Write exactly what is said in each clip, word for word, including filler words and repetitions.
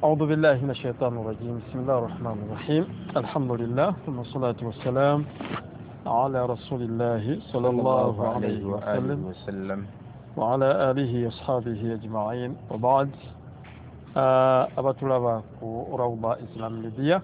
أعوذ بالله من الشيطان الرجيم. بسم الله الرحمن الرحيم. الحمد لله ثم الصلاة والسلام على رسول الله صلى الله عليه وسلم وسلم وعلى آله وأصحابه أجمعين وبعد. Abatulaba ku Rawda Islam Media,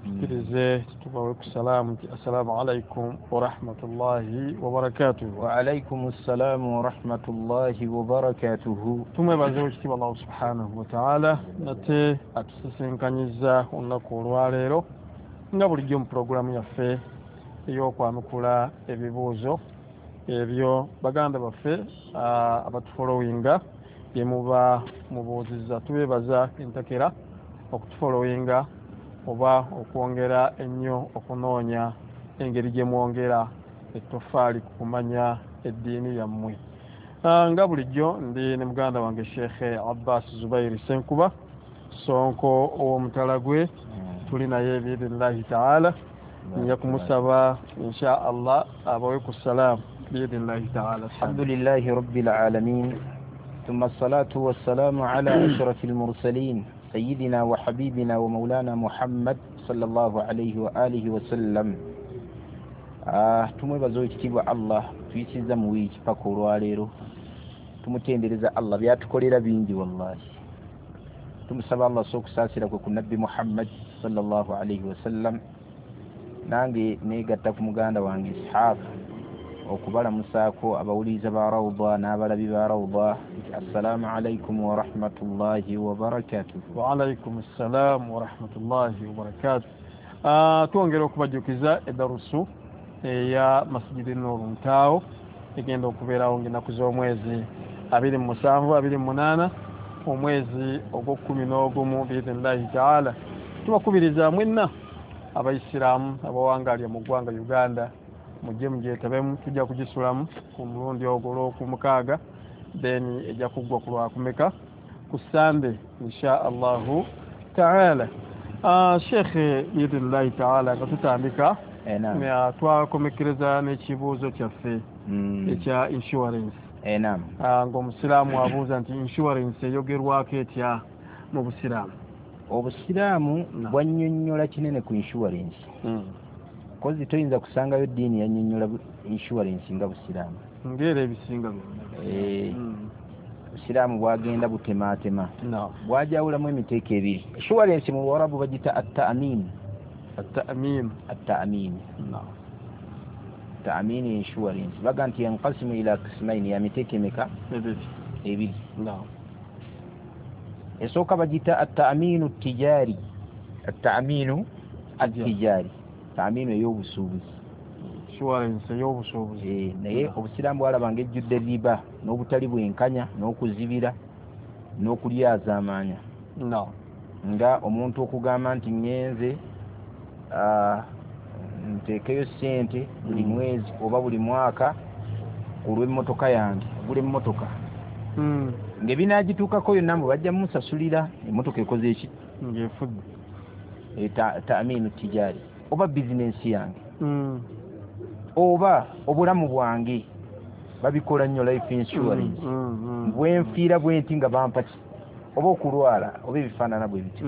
tukirize tubawe ku salaamu nti assalamu alaikum warahmatullahi wabarakatuhu. Wa alaikum assalamu warahmatullahi wabarakatuhu. Tumwebaze ekitiibwa Allah subhanahu wa ta'ala nate atusisinkanyiza olunaku olwaleero nga bulijjo mu pulogulaamu yaffe ey'okwanukula ebibuuzo ebyo baganda baffe abatufolowinga bye muba mubuuzizza. Tubeebaza entakera okutufolowinga oba okwongera ennyo okunoonya engeri gye mwongera ettofaali ku kumanya eddiini yammwe. Nga bulijjo ndi ne muganda wange Sheikh Abbas Zubairi Ssenkuba Sonko ow'omutala gwe, tuli naye biidhinillahi taala. Nja kumusaba insha Allah abawe ku salaamu biidhinillahi taala. Alhamdulillahi rabbil alamin thumma assalatu wassalamu ala ashrafil mursalin سيدنا وحبيبنا ومولانا محمد صلى الله عليه وآله وسلم. Ah, tumwebaza ekitiibwa Allah tuyisiza mu wiiki paka olwaleero. Tumutendereza Allah byatukolera bingi wallahi. Tumusaba Allah so okusaasira kwe ku Nabbi Muhammad sallallahu alaihi wasallam. Nange negatta ku muganda wange Ishaq okubalamusaako abawuliriza ba Rawda n'abalabi ba Rawda. Assalamu alaikum wa rahmatullahi wa barakatuhu. Wa alaikum assalam wa rahmatullahi wa barakatuh. Uh, twongera okubajjukiza eddarusu eya Masjidi Nur Ntaawo egenda okubeerawo ng'ennaku z'omwezi abiri mu musanvu abiri mu munaana omwezi ogw'okkumi n'ogumu biidhinillahi taala. Tubakubiriza mwenna abayisiraamu abawangalya mu ggwanga Uganda mujje mugyetabemu. Tujja kugisulamu ku mulundi ogwo olw'okumukaaga, then ejja kuggwa ku lwakumeka ku Sande insha Allahu taala. Uh, Sheikh biidhinillahi taala nga tutandika twakomekereza n'ekibuuzo kyaffe ekya insurance. Ng'omusiraamu abuuza nti insurance eyogerwako etya mu busiraamu? Obusiraamu bwannyonnyola kinene ku insurance. Kozi toyinza kusangayo ddiini yannyonnyola insurance nga busiraamu. Ng'era ebisinga byonna. Busiraamu bwagenda butemaatema. Bwajawulamu emiteeko ebiri. Insurance mu Luwarabu bagiyita at-ta'min. At-ta'min. At-ta'min. Ta'min insurance. Baga nti yanqasimu ila qismaini, ya miteeko emeka? Ebiri. Ebiri. Esooka bagiyita at-ta'minu at-tijari. At-ta'minu at-tijari. Ta'minu ey'obusuubuzi. Insurance ey'obusuubuzi. Eh, naye obusiraamu bwalaba ng'ejjudde riba n'obutali bwenkanya n'okuzibira n'okulyazaamaanya. No. Nga omuntu okugamba nti ŋŋenze nteekeyo ssente buli mwezi oba buli mwaka ku lw'emmotoka yange, ogula emmotoka. Ng'ebinaagituukako yonna mbu bajja mmusasulira emmotoka ekoze eki? Ng'efudde. Ta'minu tijaari. Oba bizinensi yange oba obulamu bwange babikola nnyo life insurance. Bwenfiira bwenti nga bampa ki oba okulwala oba ebifaanana bwe bityo.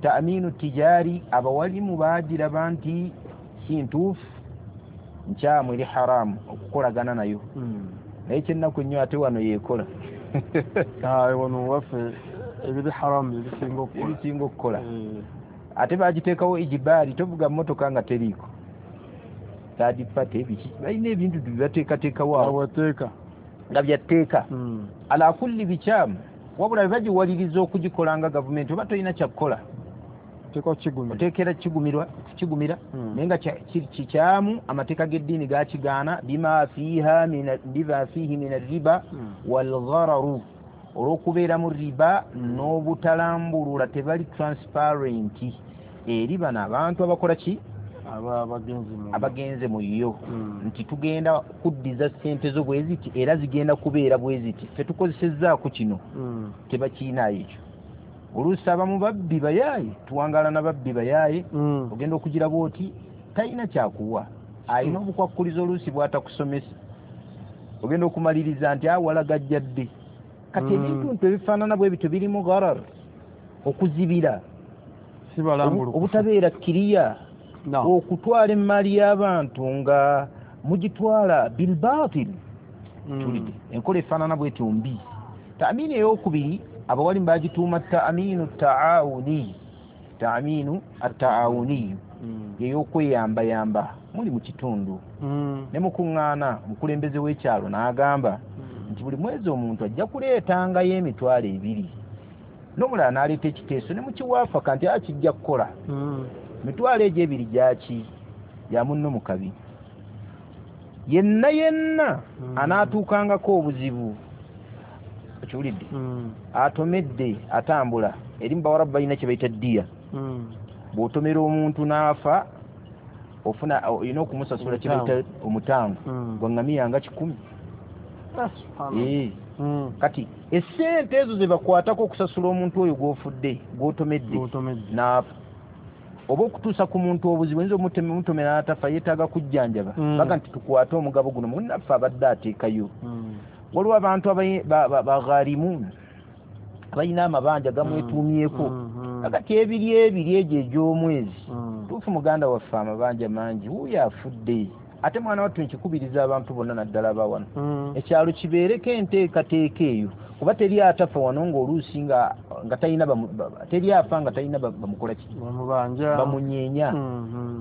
Ta'minu tijaari abawalimu baagiraba nti si ntuufu, nkyamu, eri haramu okukolagana nayo. Naye kyennaku ennyo ate wano yeekola. Wano waffe ebiri haramu ebisinga okukola. Ate bagiteekawo ejibaali, tovuga mmotoka nga teriiko third party biki, balina ebintu byebateekateekawo awo nga byatteeka. Ala kulli bikyamu, wabula bwe bagiwaliriza okugikola nga gavumenti oba tolina kyakukola oteekera kigumira, naye nga kikyamu. Amateeka g'eddiini gakigaana bima fiiha bima fiihi min arriba walghararu, olw'okubeeramu riba n'obutalambulula, tebali transparent eri bano abantu abakola ki abagenze mu yo, nti tugenda kuddiza ssente zo bwe ziti era zigenda kubeera bwe ziti, ffe tukozesezzaako kino, tebakiinaayo ekyo. Oluusi abamu babbi bayaaye, tuwangaala na babbi bayaaye, ogenda okugira bw'oti talina kyakuwa, alina obukwakkulizo oluusi bw'atakusomesa. Ogenda okumaliriza nti awalagajjadde. Kati ebintu nti ebifaanana bwe bityo birimu gharar, okuzibira, obutabeera kiriya, okutwala emmaali y'abantu nga mugitwala bilbatil. Tulidde enkola efaanana bwetyo mbi. Taamini eyokubiri abawalimu bagituuma taaminu taawuni, taaminu ataawuniyu, yeyokweyambayamba. Muli mu kitundu ne mukuŋŋaana, omukulembeze w'ekyalo n'agamba nti buli mwezi omuntu ajja kuleetangayo emitwalo ebiri, n'omulala n'aleeta ekiteeso ne mukiwaafaka nti akijja kukola. Emitwalo egyo ebiri gyaki? Ya munno mu kabi. Yenna yenna anaatuukangako obuzibu, okiwulidde, atomedde atambula, eri mu Bawarabu balina kye bayita ddiya. Bw'otomera omuntu n'afa, ofuna olina okumusasula kye bayita omutango gwa ŋŋamiya nga kikumi. Kati essente ezo ze bakwatako okusasula omuntu oyo gw'ofudde, gw'otomedde n'afa, oba okutuusa ku muntu obuzibu, oyinza omutomera n'atafa, yeetaaga kujjanjaba. Baga nti tukwate omugabo guno, munnaffe abadde ateekayo. Waliwo abantu bagharimuun abalina amabanja gamwetuumyeko, kati ebiri ebiri egyo egy'omwezi tuufu muganda waffe amabanja mangi, wuuyo afudde. Ate mwana wattu nkikubiriza abantu bonna naddala abawano, ekyalo kibeereko enteekateeka eyo, kuba teri atafa wano ng'oluusi nga nga talina, teri afa nga talina bamukola ki, bamunyeenya.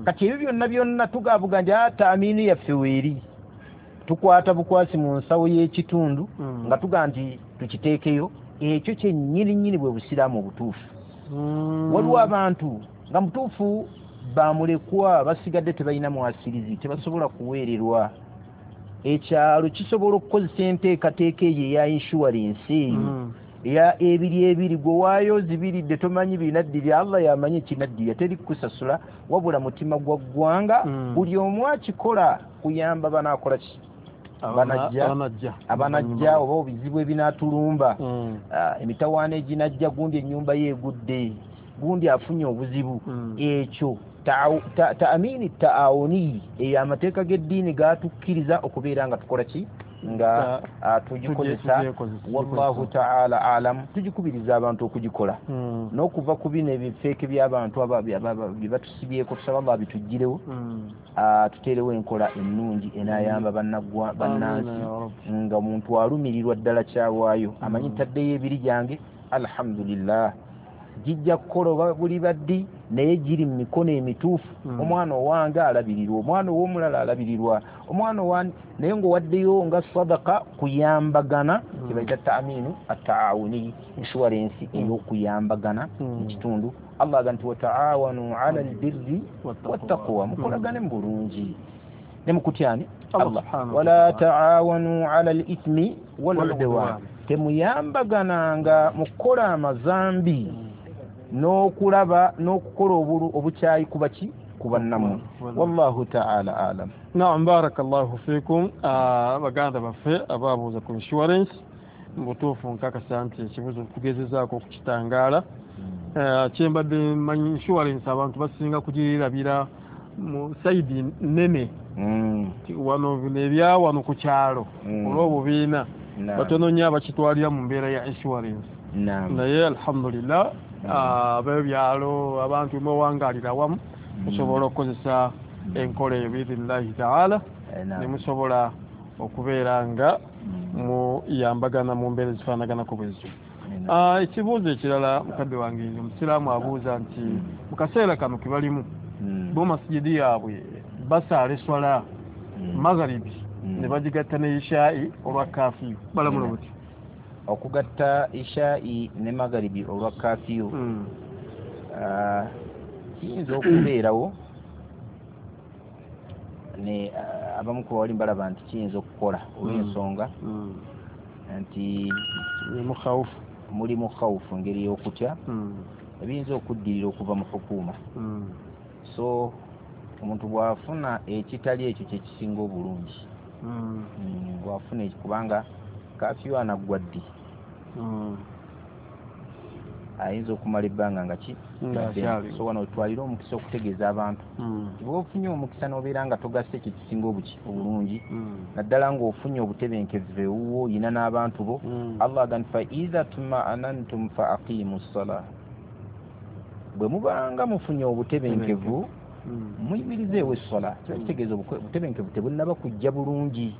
Kati ebyo byonna byonna tugabuga nti taamini yaffe weeri, tukwata bukwasi mu nsawo y'ekitundu nga tuga nti tukiteekeyo. Ekyo kyennyini nnyini bwe busiraamu obutuufu. Waliwo abantu nga mutuufu bamulekwa, basigadde tebalina mwasirizi, tebasobola kuweererwa. Ekyalo kisobola okukozesa enteekateeka eyo eya inshuwarensi eyo eya ebiri ebiri, gwe waayo zibiridde tomanyi binaddirya, Allah yamanyi ekinaddirya, teri kukusasula, wabula mutima gwa ggwanga. Buli omu akikola kuyamba banaakola ki, abanajja abanajja oba obizibu ebinaatulumba, emitawaana eginajja, gundi ennyumba ye egudde, gundi afunye obuzibu. Ekyo taamini taawuni eyo amateeka g'eddiini gatukkiriza okubeera nga tukola ki, nga tugikozesa. Wallahu taala alam. Tugikubiriza abantu okugikola n'okuva ku bino ebifeeke by'abantu bye batusibyeko, tusaba Allah bituggirewo, tuteerewo enkola ennungi enaayamba bannansi, nga omuntu alumirirwa ddala kyawaayo, amanyi ntaddeyo ebiri gyange, alhamdulillah, gijja kukola oba buli baddi, naye giri mu mikono emituufu. Omwana owange alabirirwa, omwana ow'omulala alabirirwa, omwana owange, naye ng'owaddeyo nga sadaka kuyambagana, kye bayita taaminu ataawuni, inshuwarensi ey'okuyambagana mu kitundu. Allah aga nti wataawanu ala albirri wattaqwa, mukolagane mu bulungi ne mukutyani Allah. Wala taawanu ala alithmi waludwan, temuyambagananga mu kukola amazambi n'okulaba n'okukola obukyayi kuba ki, ku bannammwe. Wallahu taala alam. Naam, barakallahu fikum. Baganda baffe ababuuza ku insurance, mu butuufu nkakasa nti ekibuuzo tugezezaako okukitangaala. Kyembadde mmanyi insurance abantu basinga kugirabira mu sayidi nnene, wano bino ebya wano ku kyalo olw'obubiina batono nnyo abakitwalira mu mbeera ya insurance. Naye alhamdulillah ab'ebyalo abantu mwewangalira wamu musobola okukozesa enkola eyo biidhinillahi taala, ne musobola okubeera nga muyambagana mu mbeera ezifaanaganako bwe zityo. Ekibuuzo ekirala mukadde wange omusiraamu abuuza nti mu kaseera kano ke balimu bo masigidi yaabwe basaala eswala magharibi ne bagigatta ne ishaa'i olwa kafiyu, balamula buti? Okugatta ishaa'i ne magharibi olwa kafiyu kiyinza okubeerawo, ne abamu ku bawali balaba nti kiyinza okukola olw'ensonga nti mulimu khawufu, engeri y'okutya ebiyinza okuddirira okuva mu hukuuma. So omuntu bw'afuna ekitali ekyo kyekisinga obulungi, bw'afuna ekyo, kubanga kafiyu anaggwa ddi? Ayinza okumala ebbanga nga ki so wano twalira omukisa okutegeeza abantu bw'oba ofunye omukisa n'obeera nga togasse ekyo kisinga obuki obulungi, naddala ng'ofunye obutebenkevu ewuwo oyina n'abantu bo. Allah agamba fa idha tuma'anantum fa aqimu ssalah, bwe mubanga mufunye obutebenkevu muyimirizeewo essala. Kiba kitegeeza obutebenkevu tebunnaba kujja bulungi.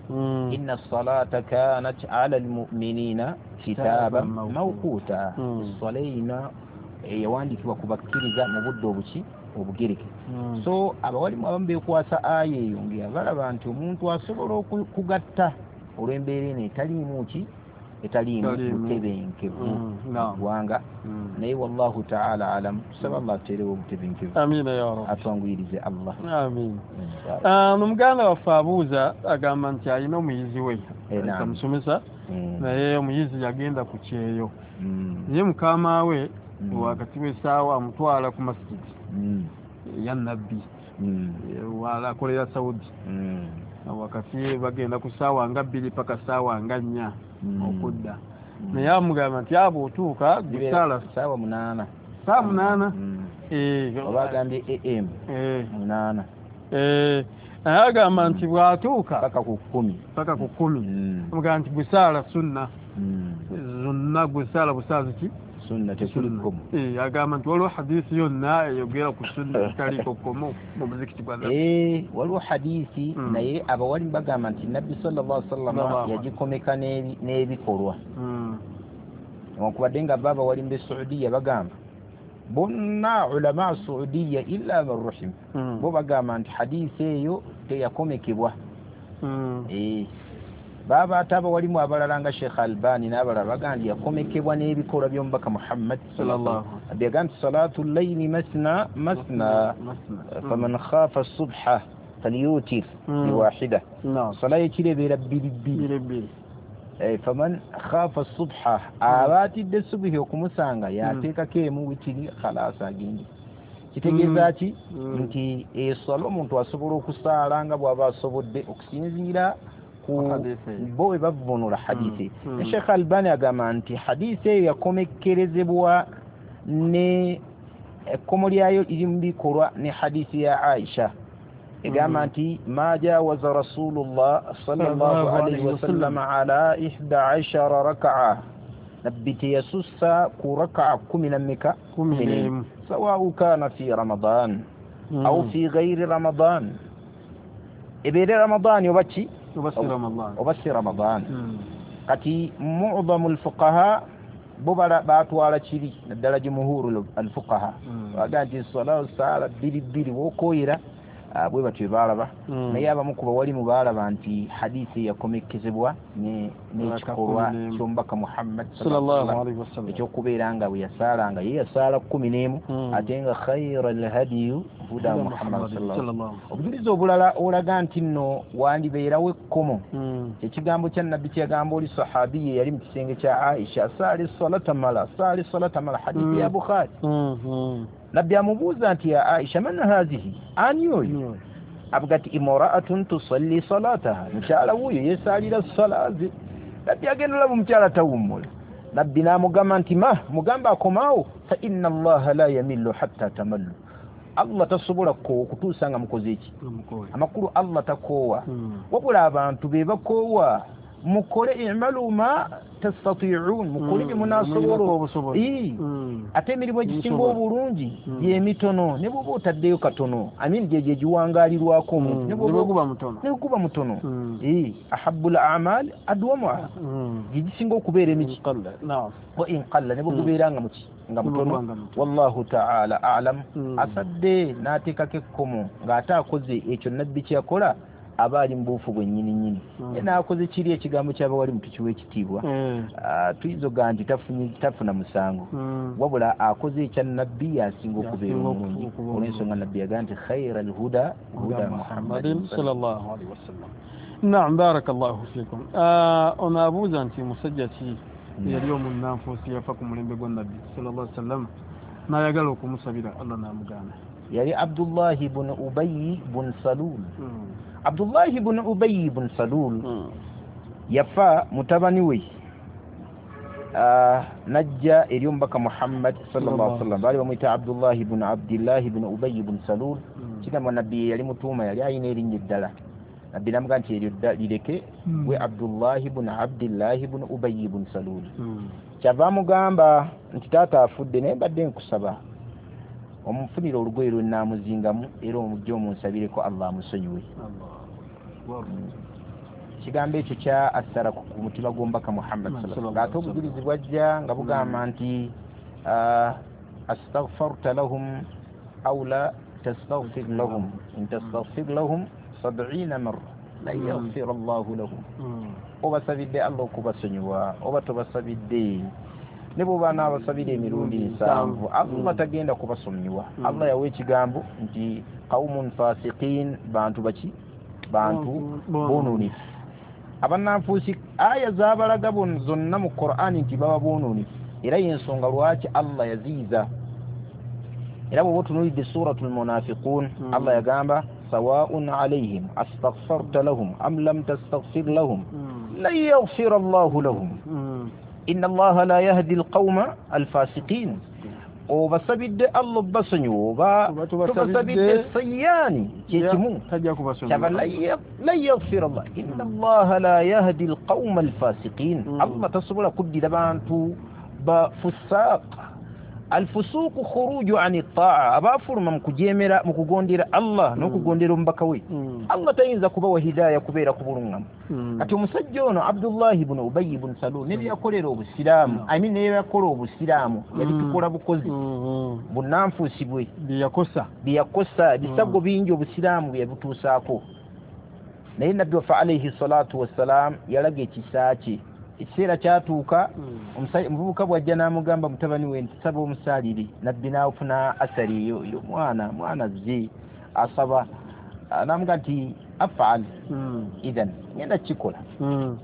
Inna ssalata kanat ala almu'minina kitaban mawquta, essala eyina eyawandiikibwa ku bakkiriza mu budde obuki obugereke. So abawalimu abamu beekwasa aya eyo nga balaba nti omuntu asobola okugatta olw'embeera eno etaliimu ki etaliimu butebenkevu mu ggwanga. Naye wallahu ta'ala alam, tusaba Allah ateerewo obutebenkevu, amiina ya Rabbi, atwanguyirize Allah, amiina. Omuganda waffe abuuza agamba nti alina omuyizi we amusomesa, naye omuyizi yagenda ku kyeyo, naye mukama we wakati w'essaawa amutwala ku masigiti ya Nabbi akolera Saudi, wakati bagenda ku ssaawa nga bbiri paka ssaawa nga nnya okudda, naye amugamba nti abo otuuka gusaala ssaawa munaana, ssaawa munaana oba agambye A M munaana, naye agamba nti bw'atuuka paka ku kkumi, paka ku kkumi, amugamba nti gusaala sunna zonna, gusaala busaazi ki sunna tekuli kkomo. Agamba nti waliwo hadiisi yonna eyogera ku sunna etaliiko kkomo mu muzikiti gwa Nabbi. Waliwo hadiisi, naye abawalimu bagamba nti Nabbi sallallahu alaihi wasallam yagikomeka n'ebikolwa, newankubadde nga bo abawalimu b'e Saudiya bagamba bonna ulama Saudiya illa man rahim, bo bagamba nti hadiisi eyo teyakomekebwa. Baba ate abawalimu abalala nga Sheikh Albani n'abalala bagamba nti yakomekebwa n'ebikolwa by'omubaka Muhammad sallallahu alaihi wasallam. Nti salatu layli masna masna faman khafa subha falyutir biwahida, sala y'ekiro ebeera bbiri bbiri, faman khafa subha, aba atidde subuhi okumusanga yateekako emu witiri khalasa agende. Kitegeeza ki? Nti eswala omuntu asobola okusaala nga bw'aba asobodde okusinziira bo we bavvuunula hadiisi. Ne Sheikh Albani agamba nti hadiisi eyo yakomekkerezebwa ne ekkomo lyayo liri mu bikolwa ne hadiisi ya Aisha egamba nti ma jawaza Rasulullah sallallahu alaihi wasallam ala ihda ashara raka'a, Nabbi teyasussa ku raka'a kumi na mmeka? Kumi n'emu, sawau kana fi Ramadan au fi ghairi Ramadan, ebeere Ramadan oba ki oba si Ramadan. Kati mu'dhamu alfuqaha bo batwala kiri naddala jumhuru alfuqaha bagamba nti swala saala bbiri bbiri w'okooyera bwe batyo baalaba. Naye abamu ku bawalimu baalaba nti hadiisi yakomekkezebwa n'ekikolwa ky'omubaka Muhammad sallallahu alaihi wasallam ekyokubeera nga bwe yasaalanga ye yasaala kkumi n'emu, ate nga khayra alhadiyu huda Muhammad sallallahu alaihi wasallam. Obujulizi obulala olaga nti nno wandibeerawo ekkomo, ekigambo kya Nabbi kyeyagamba oli sahabi ye yali mu kisenge kya Aisha, saali salata mala, saali salata mala, hadiisi ya Bukhari. Nabbi amubuuza nti ya Aisha man hazihi, ani oyo? Avuga nti imra'atun tusalli salataha, mukyala wuuyo yeesaalira sala ze. Nabbi agenda olaba omukyala tawummula. Nabbi n'amugamba nti ma mugamba akomaawo, fa inna Allaha la yamillu hatta tamallu, Allah tasobola kukoowa okutuusa nga mukoze eki? Amakulu Allah takoowa, wabula abantu be bakoowa. Mukole i'malu ma tastati'un, mukole bye munaasobola. Ate emirimu egisinga obulungi gy'emitono, ne bw'oba otaddeyo katono, amin gye gye giwangaalirwako omuntu, ne bwe guba mutono. Ahabbul a'mal adwamuha, gye gisinga okubeera emiki wa in qalla, ne bwe gubeera nga muki nga mutono. Wallahu ta'ala a'lam. Asadde n'ateekako ekkomo ng'ate akoze ekyo Nabbi kye yakola, aba ali mu buufu bwennyini nnyini. Ye n'akoze kiri ekigambo ky'abawalimu tukiwa ekitiibwa, tuyinza okugamba nti tafuna musango, wabula akoze ekya Nabbi yasinga okubeera omulungi, olw'ensonga Nabbi yagamba nti khayra alhuda huda Muhammadin sallallahu alaihi wasallam. Naam, barakallahu fikum. Ono abuuza nti musajja ki eyali omunnanfuusi yafa ku mulembe gwa Nabbi sallallahu alaihi wasallam n'ayagala okumusabira Allah n'amugaana? Yali Abdullahi bun Ubayy bun Salul. Abdullahi bun Ubayy bun Salul yafa mutabani we uh, najja eri omubaka Muhammad sallallahu alaihi wasallam, baali bamuyita Abdullahi ibn Abdillahi ibn Ubay ibn Salul. Mm. Kigambwa nabbi yali mutuuma, yali ayina erinnya eddala. Nabbi n'amugamba nti eryo dda lireke, Mm. gwe Abdullahi ibn Abdillahi ibn Ubay ibn Salul. Mm. Kyava amugamba nti taata afudde, naye mbadde nkusaba omufunire olugoye lwe nnaamuzingamu era omujje omunsabireko Allah amusonyiwe. Allahu akbar. Ekigambo ekyo kya assara ku ku mutima gw'omubaka Muhammad sallallahu alaihi wasallam. Ng'ate obujulizi bwajja nga bugamba nti ah, astaghfarta lahum aw la tastaghfir lahum in tastaghfir lahum sab'ina marra lan Mm. yaghfira Allahu lahum. Mm. Obasabidde Allah okubasonyiwa oba tobasabidde, ne bw'oba n'abasabira emirundi nsanvu, Allah tagenda kubasonyiwa. Mm. Allah yawa ekigambo nti qaumun fasiqin, bantu baki? Bantu boonoonifu. Abannanfuusi aya zaabalaga bon- zonna mu Qur'ani nti baba boonoonifu, era y'ensonga lwaki Allah yaziyiza. Era bw'oba otunuulidde Suratul Munafiqun, Mm. Allah yagamba sawaun alayhim astaghfarta lahum am lam tastaghfir lahum Mm. lan yaghfira Allahu lahum Mm. inna Allaha la yahdi alqawma alfasiqin. Obasabidde Allah obbasonyiwa oba Oba tobasabidde, tobasabidde, sayyaani kyekimu, tajja kubasonyiwa. Kyava lan yaghfira Allah inna Allaha la yahdi alqawma alfasiqin. Mm. Allah tasobola kuddira bantu ba fusaaq. Alfusuuqu khuruju ani taa, abaafuluma mu kujeemera, mu kugondera Allah n'okugondera omubaka we, Mm. Allah tayinza kubawa hidaaya kubeera ku buluŋŋamu. Mm. Kati omusajja ono Abdullahi ibn Ubayi ibn Salul ne byeyakolera obusiraamu, Mm. I mean ne byeyakola obusiraamu yabitukola bukozi, Mm. bunnanfuusi bwe bye yakosa, bye yakosa, ebisago bingi obusiraamu bye yabutuusaako. Naye nabbi waffe alaihi salatu wassalam yalaga ekisa kye. Ekiseera kyatuuka, Mm. omusajja omuvubuka bw'ajja n'amugamba mutabani we nti saba omusaalire, nabbi n'afuna asari eyo yo mwana mwana azze asaba, Ah, n'amugamba nti afal Mm. idhan, ngenda kukikola. Mm.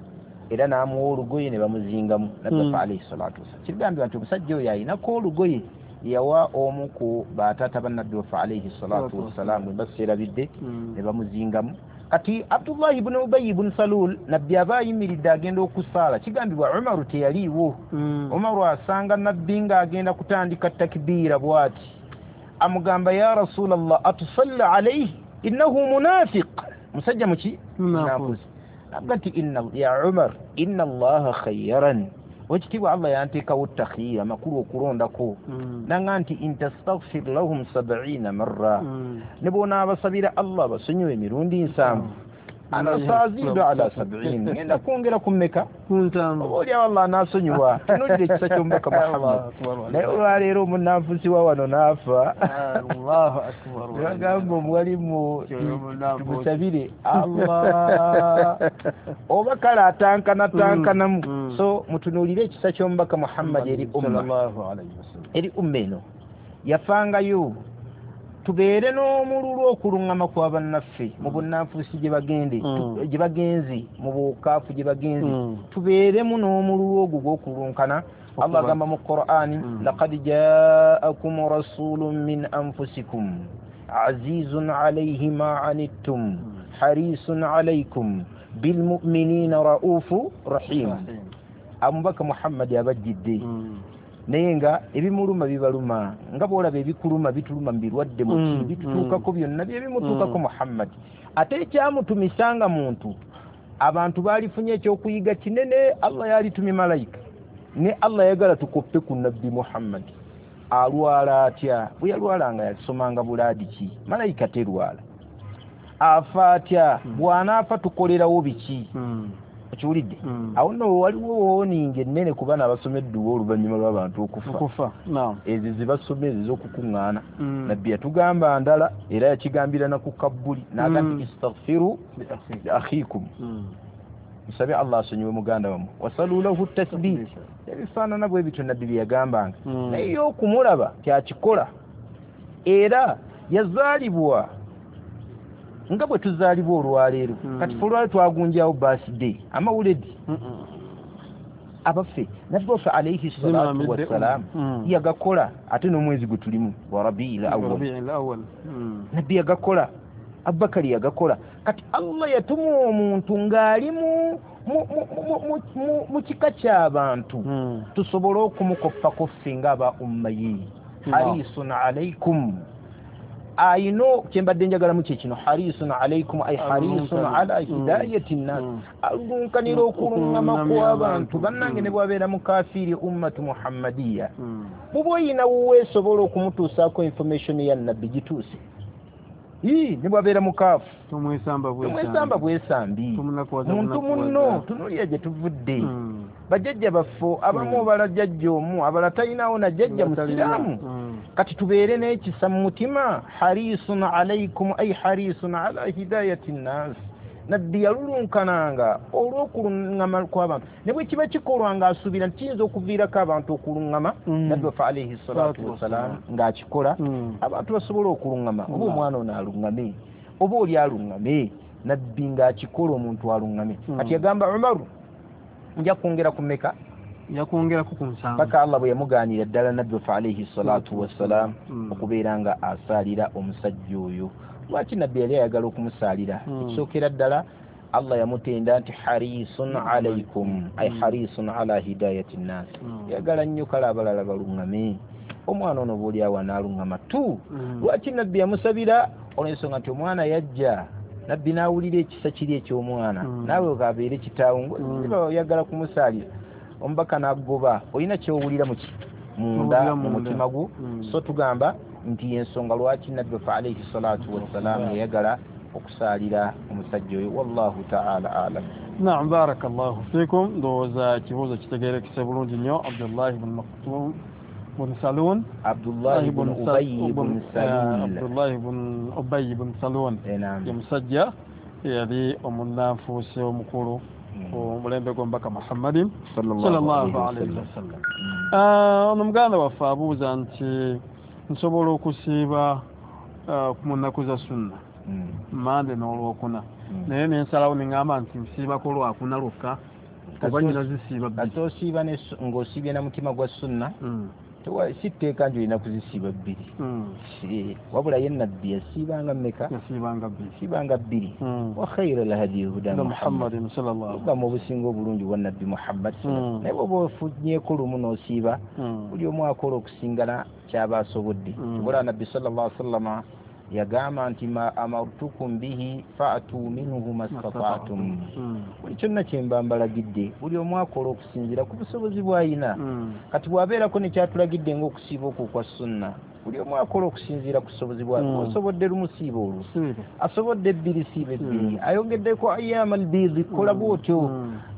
Era n'amuwa olugoye ne bamuzingamu nabbi Mm. waffe alaihi salatu wassalam. Kigambibwa nti omusajja oyo ayinako olugoye yawa omu ku bataata ba nabbi waffe alaihi salatu wassalam, bwe mba seerabidde, Mm. ne bamuzingamu. Kati Abdullahi ibn Ubayi ibn Salul, nabbi aba ayimiridde agenda okusaala, kigambibwa Umaru teyaliiwo. Mm. Umaru asanga nabbi ng'agenda kutandika takbiira bw'ati, amugamba ya Rasulallah atusalli alaihi innahu munafiq, musajja muki? Munaafuusi. Naga nti inna ya Umar inna Allaha khayyaran, wekitiibwa Allah yanteekawo takhiira, amakulu okulondako. Mm. Nanga nti in tastaghfir lahum sab'ina marra, Mm. ne bw'onaabasabira Allah basonyiwe emirundi nsanvu, ana saazidu ala sab'in, ngenda kwongera ku mmeka? Ku nsanvu. Oba oliawo Allah anaasonyiwa. Tunuulira ekisa ky'omubaka Muhammad. Allahu akbar. Naye olwaleero omunnanfuusi wa wano n'afa, Allahu akbar. ne bagamba omuwalimu Kyoyo omunnanfuusi. tumusabire Allah, oba kale atankana tankanamu. Mm. So mutunuulire ekisa ky'omubaka Muhammad eri umma, Sallallahu alaihi wasallam. eri umma eno yafangayo. Tubeere n'omululu okuluŋŋama kwa bannaffe mu bunnanfuusi gye bagende, Mm. tu- gye bagenze mu bukaafu gye bagenze, Mm. tubeeremu n'omululu ogwo gw'okulunkana. Allah agamba mu Qur'ani, Mm. laqad ja'akum rasulun min anfusikum azizun alayhi ma anittum harisun alaykum bilmu'minina ra'ufu rahim. Omubaka Muhammad abajjidde, Mm. naye nga ebimuluma bibaluma, nga bw'olaba ebikuluma bituluma mu birwadde muki, Mm, bitutuukako byonna byebimutuukako Mm. Muhammad. Ate ekyamutumisanga muntu, abantu baalifunye ekyokuyiga kinene. Allah yalitumye malayika, ne Allah yagala tukoppe ku nabbi Muhammad. Alwala atya? Bwe yalwalanga yasomanga bulaadi ki? Malayika terwala. Afa atya? Mm. Bw'anaafa tukolerawo biki? Mm. Okiwulidde? Mm. Awo nno waliwo wooninga ennene ku baana abasoma edduwa oluvannyuma lw'abantu okufa. Okufa. Naam. Ezo zebasoma ezo ez'okukuŋŋaana, Mm. nabbi yatugamba ndala, era yakigambira na ku kabbuli n'agamba Mm. nti istaghfiru Li akhi. li akhikum, Mm. musabe Allah asonyiwe muganda wammwe, wasalu lahu tasbih, ebifaanana bwe bityo nabbi bye yagambanga. Mm. Naye ye okumulaba kyakikola, era yazaalibwa nga bwe tuzaalibwa olwaleero. Mm. Kati fe olwaleero twagunjawo birthday amawuledi Mm. abaffe nabbi waffe alaihi salatu Zimamidde. wassalam Mm. yagakola, ate n'omwezi gwe tulimu wa Rabiil Awwal, Rabiul Awwal. Mm. nabbi yagakola, Abubakari yagakola. Kati Allah yatuma omuntu ng'ali mu mu kika ky'abantu tusobole okumukoppako ffe ng'aba umma ye. Harisun alaikum, ayino kyembadde njagalamu kye kino, harisun alaikum ay harisun ala hidayati nnas, alunkanira okulungama kw'abantu. Bannange ne bwabeera mukafiiri ummatu muhammadiya, buba oyina wuweesobola okumutuusaako information ya nabbi gituuse. Ii ne bwabeera mukaafu tumwesamba bwesambi, muntu munno tunuulira gye tuvudde. Bajjajja baffe abamu obala jjajja omu, abala talinawo na jjajja musiraamu. Kati tubeere n'ekisa mu mutima. Harisun alaikum ay harisun ala hidayati nnas. Nabbi yalulunkananga olw'okulungama kw'abantu, ne bwe kiba kikolwa ng'asuubira nti kiyinza okuviirako abantu okulungama, nabbi waffe alaihi salatu wassalam ng'akikola abantu basobole okulungama. Oba omwana ono alungame, oba oli alungame, nabbi ng'akikola omuntu alungame. Kati yagamba Umaru, nja kwongera ku mmeka? Yakwongerako ku nsanvu, paka Allah bwe yamugaanira ddala nabbi waffe alaihi salatu wassalam okubeera nga asaalira omusajja oyo. Lwaki nabbi yali ayagala okumusaalira? Ekisookera ddala Allah yamutenda nti harisun alaikum ay harisun ala hidayati nnas, yagala nnyo kale abalala balungame, omwana ono bwoli awo anaalungama tu. Lwaki nabbi yamusabira? Olw'ensonga nti omwana yajja, nabbi n'awulira ekisa kiri eky'omwana, naawe kabeere kitaawo oyagala kumusaalira, omubaka n'agoba, olina ky'owulira muki munda mu mutima gwo. So tugamba nti ensonga lwaki nabbi waffe alaihi salatu wassalam yayagala okusaalira omusajja oyo. Wallahu taala alam. Naam, barakallahu fikum. Ndowooza ekibuuzo kitegeerekese bulungi nnyo. Abdullahi bun Maktum bun Salun, Abdullahi bun Ubayy bun Salul, Abdullahi bun Ubayy bun Salun ye musajja eyali omunnanfuusi omukulu omulembe gw'omubaka Muhammadin sallallahu alaihi wasallam. Ono muganda waffe abuuza nti nsobola okusiiba mu nnaku za sunna mande n'olwokuna, naye nensalawo neŋŋamba nti nsiibako lwakuna lwokka oba nnyina zisiiba bbiri. Ate osiiba ng'osiibye na mutima gwa sunna, si tteeka nti olina kuzisiiba bbiri, wabula ye nabbi yasiibanga mmeka? Yasiibanga bbiri. Yasiibanga bbiri. Wa khayra lhadi huda Muhammadin sallallahu obulamu obusinga obulungi bwa nabbi Muhammad. Naye bw'oba ofunyeeko lumu n'osiiba, buli omu akola okusingana ky'aba asobodde. Wabula nabbi sallallahu alaihi wasallama yagamba nti ma amartukum bihi fa'tu minhu mastata'tum, buli kyonna kye mba mbalagidde buli omu akola okusinziira ku busobozi bw'ayina. Kati bw'abeerako ne kyatulagidde ng'okusiiba okwo okwa sunna, buli omu akola okusinziira ku busobozi bw'alina. Osobodde lumu siiba olwo, asobodde ebbiri siiba ebbiri, ayongeddeko ayama albiidi kola bw'otyo.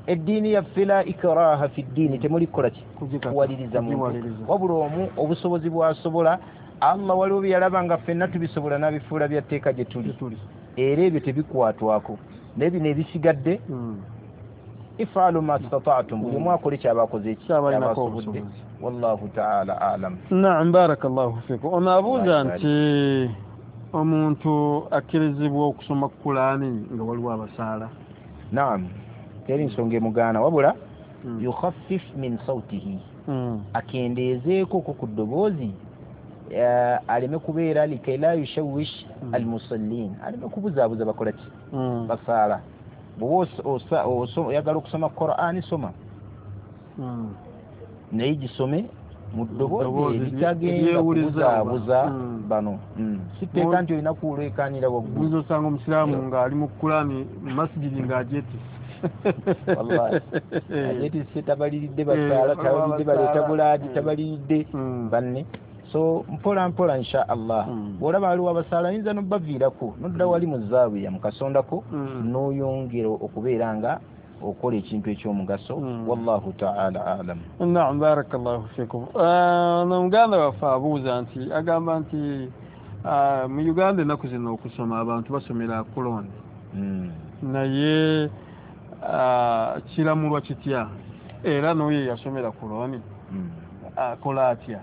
Eddiini yaffe la ikraha fi ddiini, temuli kukola ki kuwaliriza muntu, wabula omu obusobozi bw'asobola. Allah waliwo bye yalaba nga ffenna tubisobola n'abifuula bya tteeka gye tuli, era ebyo tebikwatwako. Naye bino ebisigadde ifalu ma stata'tum, buli omu akole kyaba akoze kyaba asobodde. Wallahu taala alam. Naam, barakallahu fikum. Ono abuuza nti omuntu akkirizibwa okusoma Kulaani nga waliwo abasaala? Naam, teri nsonga emugaana, wabula yukhaffif min sautihi, akendeezeeko ku ddoboozi, aleme kubeera likay la yushawish almusallin, aleme kubuzaabuza bakola ki basaala. Bw'oba oyagala okusoma Qur'ani soma, naye gisome mu ddoboozi eritagenda kubuzaabuza bano. Si tteeka nti olina kuleekaanira waggulu. Oyinza osanga omusiraamu ng'ali mu Kulaani mu masijidi ng'agyetisse. Wallahi agyetisse, tabaliridde basaala, tabaliridde baleeta bulaadi, tabaliridde banne. So mpola mpola insha Allah. Bw'olaba waliwo abasaala oyinza n'obaviirako n'odda wali mu zaawiya mu kasondako n'oyongera okubeera nga okola ekintu ekyomugaso. Wallahu taala alam. Naam, barakallahu fikum. Ono muganda waffe abuuza nti agamba nti mu Uganda ennaku zino okusoma abantu basomera kuloni, naye kiramulwa kitya? Era n'oyo eyasomera kuloni akola atya?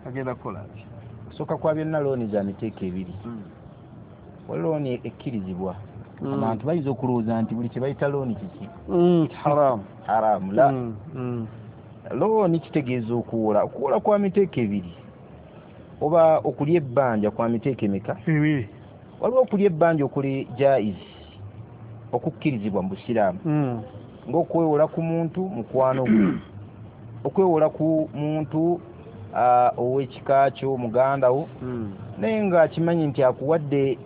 Agenda kukola atya? Okusooka kwa byonna looni za miteeko ebiri. Waliwo looni ekkirizibwa. Abantu bayinza okulowooza nti buli kye bayita looni kiki haramu. Haramu la. Looni kitegeeza okuwola. Okuwola kwa miteeko ebiri, oba okulya ebbanja kwa miteeko emeka? Ebiri. Waliwo okulya ebbanja okuli jaiz, okukkirizibwa mu busiraamu. Ng'okwewola ku muntu mukwano gwe, okwewola ku muntu ow'ekika kyo, muganda wo, naye ng'akimanyi nti akuwadde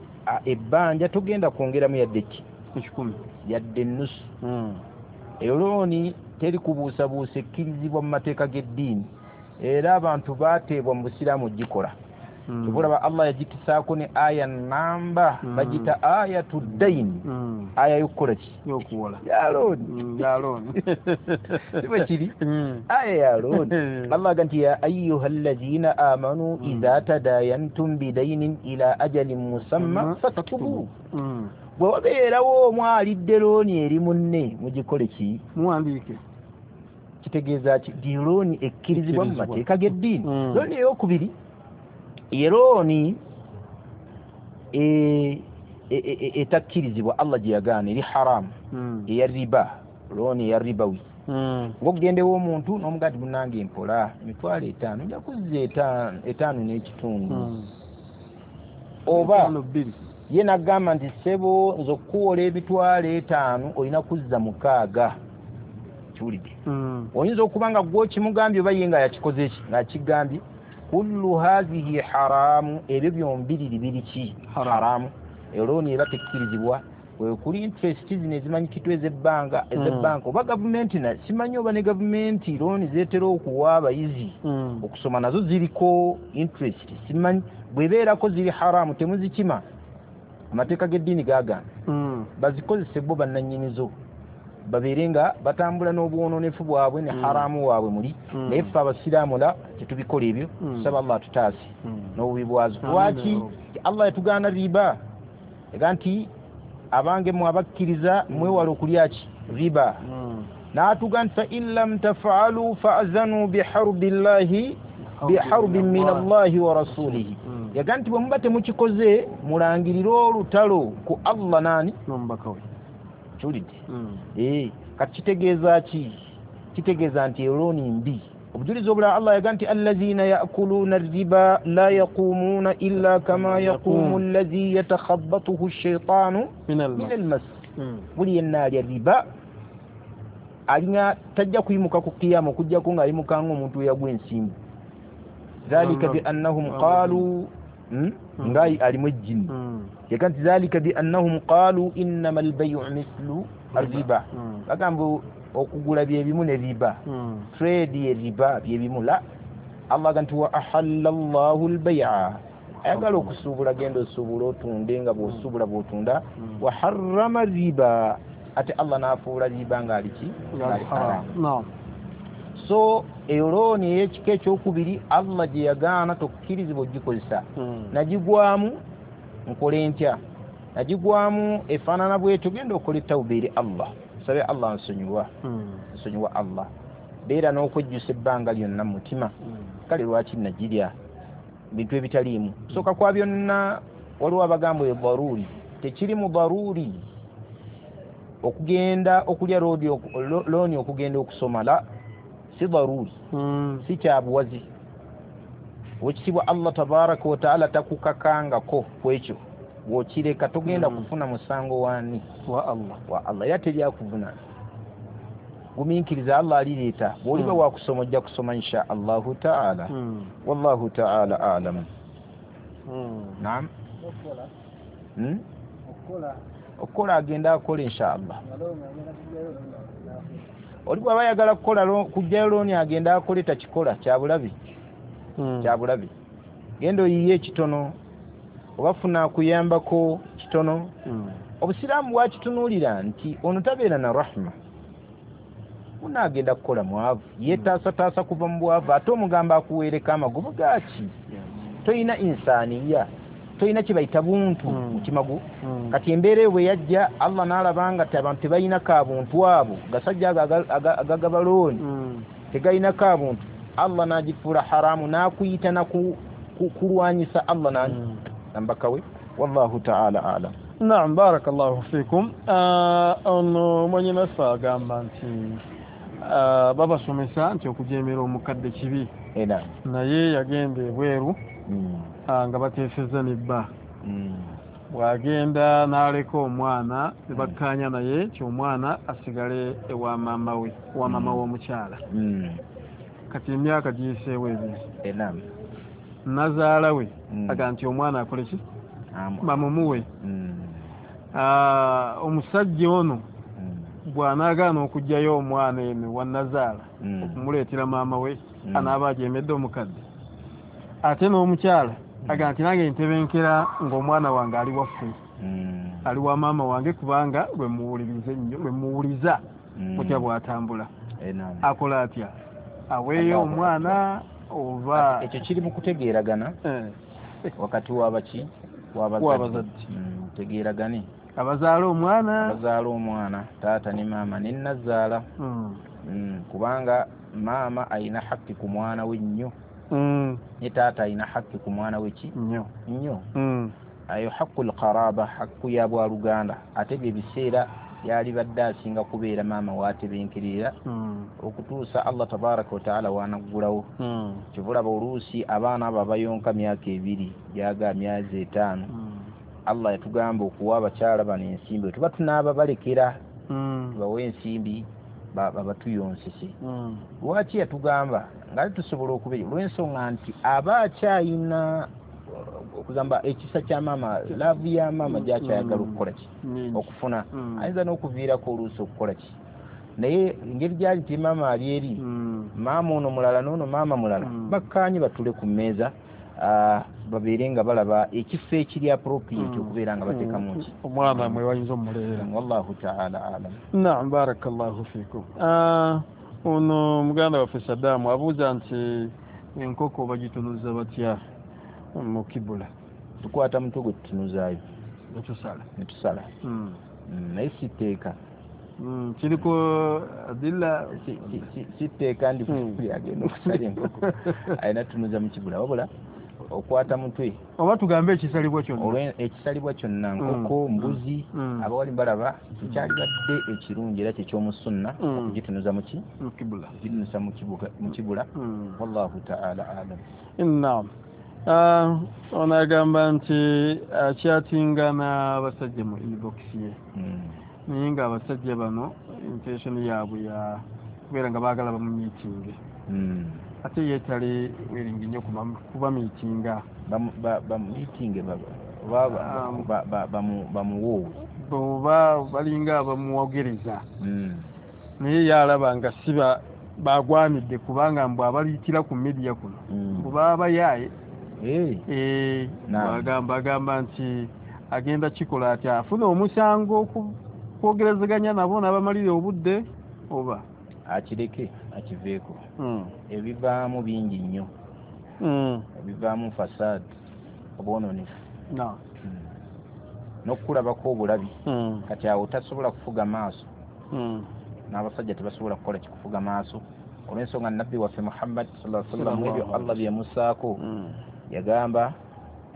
ebbanja togenda kwongeramu yadde ki ekikumi yadde ennusu. Eyo looni teri kubuusabuusa, ekkirizibwa mu mateeka g'eddiini, era abantu baateebwa mu busiraamu ogikola. Kyova Allah yagitusaako ne aya namba, bagita ayatu ddaini, aya y'okukola ki? Y'okuwola. Ya looni. Ya looni. Si bwe kiri? Aya ya looni. Allah aga nti ya ayyuha allazina amanu idha tadayantum bidainin ila ajalin musamma faktubu. Bwe wabeerawo omu alidde looni eri munne, mugikole ki? Muwandiike. Kitegeeza ki? Nti looni ekkirizibwa mu mateeka g'eddiini. Looni ey'okubiri ye looni etakkirizibwa, Allah gye yagaana, eri haramu, eya riba, looni eya ribawi. Ng'okugendewo omuntu n'omugaa nti munnange mpola emitwalo etaano, nja kuzza etaano n'ekitundu. Oba ye n'agamba nti ssebo nze okukuwola ebitwalo etaano olina kuzza mukaaga. Kiwulidde? Oyinza okuba nga gwe okimugambye oba ye nga yakikoze ki, ng'akigambye. Kullu hazihi haramu, ebyo byombiriri biri ki? Haramu. Elooni eba tekkirizibwa. Kuli interest zino ezimanyikitwa ez'ebbanga, ez'ebbanka oba gavumenti, simanyi oba ne gavumenti looni zeetera okuwa abayizi okusoma nazo ziriko interest, simanyi bw'ebeerako ziri haramu, temuzikima. Amateeka g'eddiini gaagaana bazikozese bo bannannyinizo, babeere nga batambula n'obwononefu bwabwe ne haramu waabwe muli. Naye ffe abasiraamu la tetubikola ebyo, tusaba Allah atutaase n'obubi bwazo. Lwaki Allah yatugaana riba? Ega nti abange mmwe abakkiriza mwewale okulya ki? Riba. N'atuga nti fa in lam tafaalu faazanu biharubillahi biharbin min Allahi wa rasulihi. Yaga nti bwe muba temukikoze mulangirire olutalo ku Allah nani? N'omubaka we. Kiwulidde? Eh, kati kitegeeza ki? Kitegeeza nti elooni mbi. Obujulizi obulala Allah yaga nti allazina yakuluna riba la yaqumuna illa kama yaqumu allazi yatakhabatuhu shaitanu min almas. Buli yenna alya riba alina tajja kuyimuka ku kiyama okujjako ng'ayimuka ng'omuntu eyagwa ensimbu. Dhalika bi annahum qalu, nga alimu ejjini. Yaga nti dhalika bi annahum qalu innama albayu mithlu arriba. Bagamba okugula byebimu ne riba, trade ye riba byebimu. La, Allah aga nti wa ahalla Allahu albay'a, ayagala okusuubula genda osuubula otunde nga bw'osuubula bw'otunda. Wa harrama riba, ate Allah n'afuula riba ng'ali ki? Ng'ali haramu. So eyo looni ey'ekika ekyokubiri Allah gye yagaana tokkirizibwa ogikozesa. Nagigwamu nkole ntya? Nagigwamu efaanana bwetyo, genda okole tawuba eri Allah, sabe Allah nsonyiwa, nsonyiwa Allah. Beera n'okwejjusa ebbanga lyonna mu mutima, kale lwaki nagirya bintu ebitaliimu. Sooka kwa byonna waliwo abagamba eyo daruuri, tekiri mu daruuri okugenda okulya looni okugenda okusoma, la si daruuri, si kyabuwazi. Owekitiibwa Allah tabaraka wataala takukakangako ku ekyo, bw'okireka togenda kufuna musango wani? Wa Allah. Wa Allah, era teryakuvuna. Gumiikiriza, Allah alireeta. Bw'oliba wakusoma ojja kusoma insha Allahu taala. Wallahu taala alamu. Naam. Okukola agenda akola insha Allah. Oli bw'aba ayagala kukola kujjayo looni agenda akole, takikola kyabulabi, kyabulabi. Genda oyiye ekitono oba funa akuyambako kitono. Obusiraamu bwakitunuulira nti ono tabeera na rahma, unaagenda kukola mwavu, yeetaasataasa kuva mu bwavu, ate omugamba akuweereko amagoba gaaki? Toyina insaaniya, toyina kye bayita buntu mutima gwo. Kati embeera eyo bwe yajja Allah n'alaba nga ti abantu tebalina ka buntu, abo gasajja ago agagaba looni tegalina ka buntu, Allah n'agifuula haramu n'akuyita na kulwanyisa Allah nani nambaka we. Wallahu taala alam. Naam, barakallahu fikum. Ono mwannyinaffe agamba nti babasomesa nti okujeemera omukadde kibi, naye yagenda ebweru nga bateesezza ne bba. Bw'agenda n'aleka omwana ne bakkaanya naye nti omwana asigale ewa maama we, ewa maama w'omukyala. Kati emyaka giyiseewo ebiri, nazaala we aga nti omwana akole ki, bamumuwe. Omusajja ono bw'anaagaana okuggyayo omwana eno wa nazaala okumuleetera maama we, anaaba agyemedde omukadde. Ate n'omukyala aga nti nange ntebenkera ng'omwana wange ali waffe, ali wa maama wange, kubanga lwe muwuliriza ennyo, lwe muwuliza mutya bw'atambula. Akola atya? Aweeyo omwana oba? Ekyo kiri mu kutegeeragana wakati w'abaki, w'abazadde. Tegeeragane abazaala omwana, abazaala omwana, taata ne maama ne nnazaala. Kubanga maama alina hakki ku mwana we nnyo, ne taata alina hakki ku mwana we ki nnyo nnyo. Ayo haqqul qaraba, hakku ya bwaluganda. Ate bye biseera yalibadde asinga kubeera maama waatebenkerera okutuusa Allah tabaraka wa taala wanaggulawo. Kyova olaba oluusi abaana abo abayonka myaka ebiri gyaga myezi etaano, Allah yatugamba okuwa abakyala bano ensimbi, tuba tunaaba balekera tubawe ensimbi babatuyonsese. Lwaki yatugamba nga tusobola okubeera? Olw'ensonga nti aba akyayina okugamba ekisa kya maama, laavu ya maama gyakyayagala okukola ki, okufuna. Ayinza n'okuviirako oluusi okukola ki, naye engeri gyali nti maama ali eri, maama ono mulala n'ono maama mulala, bakkaanye batule ku mmeeza, babeere nga balaba ekifo ekiri appropriate okubeera nga bateekamu ki omwana mwe bayinza omuleera. Wallahu taala alam. Naam, barakallahu fikum. Ono muganda waffe Saddam abuuza nti enkoko bagitunuza batya mu kibula? Tukwata mutwe gwe tutunuzaayo netusala, netusala. Naye si tteeka, kiriko adilla, si tteeka ndi agenda okusala enkoko alina tunuza mu kibula, wabula okwata mutwe oba tugambe ekisalibwa kyonna, ekisalibwa kyonna, nkoko, mbuzi. Abawali balaba ekyalibadde ekirungi era kyekyomusunna okugitunuza muki, okugitunuza mu kibula. Wallahu taala alam. Naam. Ono agamba nti akyatinga n'abasajja mu inbox ye, naye nga abasajja bano intention yaabwe ya kubeera nga baagala bamumiitinge, ate ye tali wiringi nnyo kubamiitinga. Bamumiitinge bamuwoowe oba balinga abamuwogereza, naye ye alaba nga si bagwanidde, kubanga mbw abaliyitira ku midiya kuno mbu baba yaaye. Agamba agamba nti agenda kikola atya, afuna omusango okwogerezeganya nabo n'abamalira obudde oba akireke akiveeko. Ebivaamu bingi nnyo, ebivaamu fasaad, obwononefu n'okukulabako obulabi. Kati awo tasobola kufuga maaso, n'abasajja tebasobola kukola kikufuga maaso, olw'ensonga nabbi waffe Muhammad sallallahu alaihi wasallam ebyo Allah byemusaako yagamba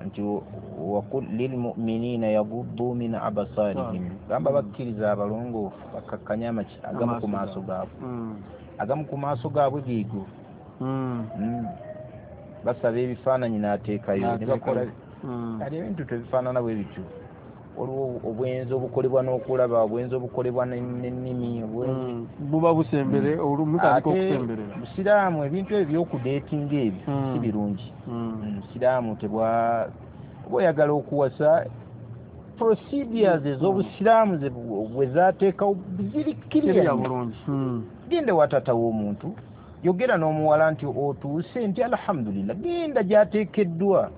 nti waqul lilmuminina yaguddu min abasarihim, gamba bakkiriza abalongoofu bakkakkanye amaki agamu ku maaso gaabwe, agamu ku maaso gaabwe geego. Basaba ebifaananyi n'ateekayo ne bakola kati ebintu tebifaanana bwe bityo. Waliwo obwenzi obukolebwa n'okulaba, obwenzi obukolebwa n'ennimi, buba busembere olumutandika okusemberera. Busiraamu ebintu ebyo by'okudeetinga ebyo si birungi. Busiraamu tebwa oba oyagala okuwasa, procedures ez'obusiraamu bwe zaateekawo ziri clear bulungi. Genda wa taata w'omuntu, yogera n'omuwala nti otuuse, nti alhamdulillah, genda gy'ateekeddwa.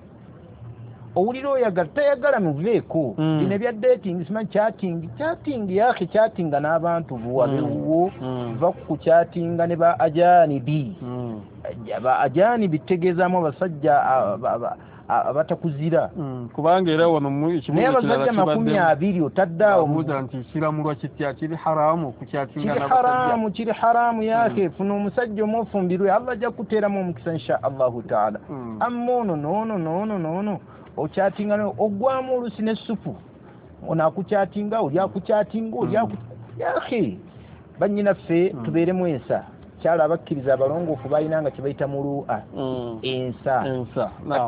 Owulira oyagala tayagala muveeko. Bino ebya dating, simanyi chatting, chatting yake chattinga n'abantu buwabewuwo, va ku chattinga ne ba ajanibi. Ba ajanibi tegeezaamu abasajja abatakuzira, kubanga era wano naye abasajja makumi abiri otadde awo nti kiramulwa kitya, kiri haramu okukyatinga n'abasajja? Kiri haramu, kiri haramu yake. Funa omusajja omufumbirwe, Allah ajja kukuteeramu omukisa insha Allahu taala. Amma ono noono noono noono okyatinga ogwamu oluusi n'essupu, ono akukyatinga, oli akukyatinga, oli aku yake. Bannyinaffe tubeeremu ensa. Kyala abakkiriza abalongoofu balina nga kyebayita mulu'a, ensa.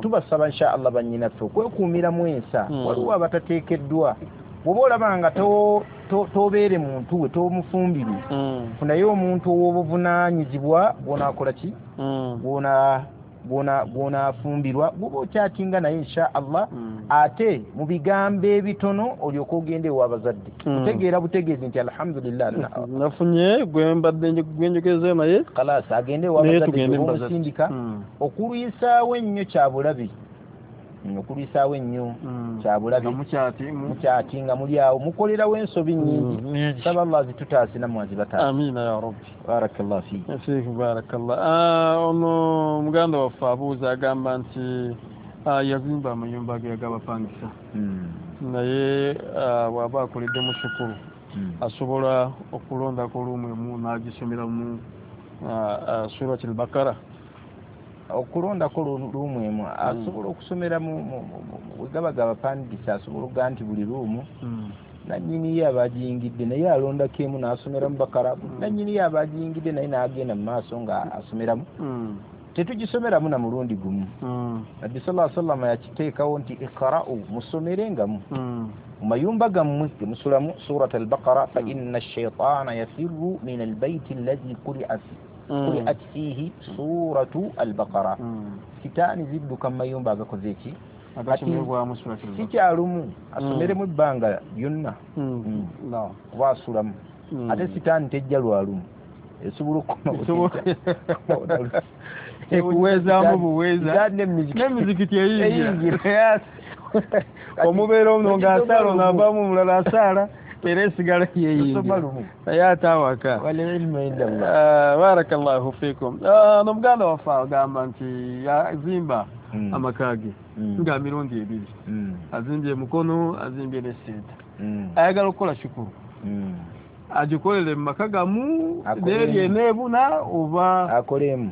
Tubasaba insha Allah bannyinaffe okwekuumiramu ensa. Waliwo abatateekeddwa, bw'oba olaba nga tobeere muntu we tomufumbirwe, funayo omuntu ow'obuvunaanyizibwa bw'onaakola ki, bw'onaafumbirwa, bw'oba okyatinga naye insha Allah. Ate mu bigambo ebitono olyoke ogende ew'abazadde, otegeera butegeezi nti alhamdulillah nafunye gwe mbadde gwenjogeze naye, khalas agende ew'abazadde omusindika. Okulwisaawo ennyo kya bulabe, okulwisaawo ennyo kya bulabe, mukyati nga muli awo mukolerawo ensobi nnyingi. Saba Allah azitutaase nammwe azibataase. Amiina ya Rabbi. Barakallahu fiik. Fiik barakallah. Ono muganda waffe abuuza agamba nti yazimba amayumba ge ag'abapangisa, naye bw'aba akoleddemu shukuru asobola okulondako lumu emu n'agisomeramu Surat al-Baqara. Okulondako luumu emu asobola okusomeramu, bwe gaba gabapangisa asobola okugaa nti buli luumu nannyini ye aba agiyingidde, naye alondako emu n'asomeramu Bakara, nannyini ye aba agiyingidde naye n'agenda mu maaso nga asomeramu. Tetugisomeramu na mulundi gumu. Nabbi sallallahu alaihi wasallam yakiteekawo nti iqra'u, musomerengamu mu mayumba gammwe ge musulamu Surat al-Baqara, fa inna ash-shaytana yafirru min al-bayti alladhi quri'a quri'at fihi suratu al-Baqara. Sitaani zidduka mu mayumba agakoze eki, si kyalumu, asomeremu ebbanga lyonna kuba asulamu. Ate sitaani tejja lwalumu, esobola okukoma ekuweezaamu buweeza n'emizikiti eyingira, omubeera ono ng'asaala ono avaamu omulala asaala, era esigala yeyingira naye ate awaka. Barakallahu fiikum. N'omuganda waffe agamba nti yazimba amaka ge nga mirundi ebiri, azimbye Mukono, azimbye ne Seeta, ayagala okukola shukuru agikolere mu maka gamu n'eri eneebuna oba akolemu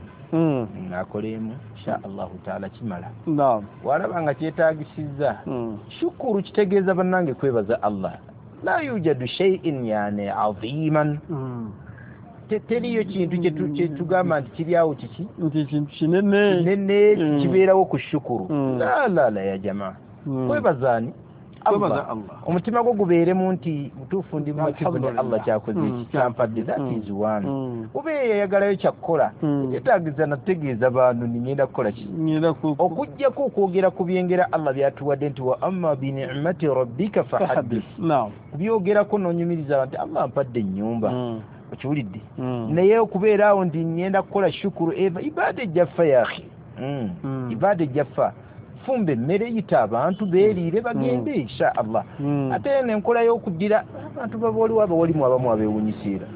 akolemu insha Allahu taala kimala. Naam. Walaba nga kyetaagisizza shukuru kitegeeza bannange kwebaza Allah. La yujadu shay'in yani aziman, teriyo kintu kyetugamba nti kiri awo kiki nti kintu kinene kinene kibeerawo ku shukuru. La la la ya jamaa, kwebazaani Allah. Omutima gwo gubeeremu nti butuufu ndi mumativu ne Allah kyakoze eki kyampadde, that is one. Oba eyayagalayo kyakkola kyetaagiza nategeeza bantu ningenda kukola ki, okuggyako okwogera ku byengera Allah byatuwadde nti wa amma bi ni'mati rabbika fahaddith. Kubyogerako n'onyumiriza abantu Allah mpadde ennyumba, okiwulidde, naye okubeera awo nti ngenda kukola shukuru eva ibaada ejjaffa ya akhi, ibaada ejjaffa. Fumba emmere, yita abantu beeriire bagende insha Allah. Ate enkola y'okuddira abantu baba waliwo abawalimu abamu abeewunyisiira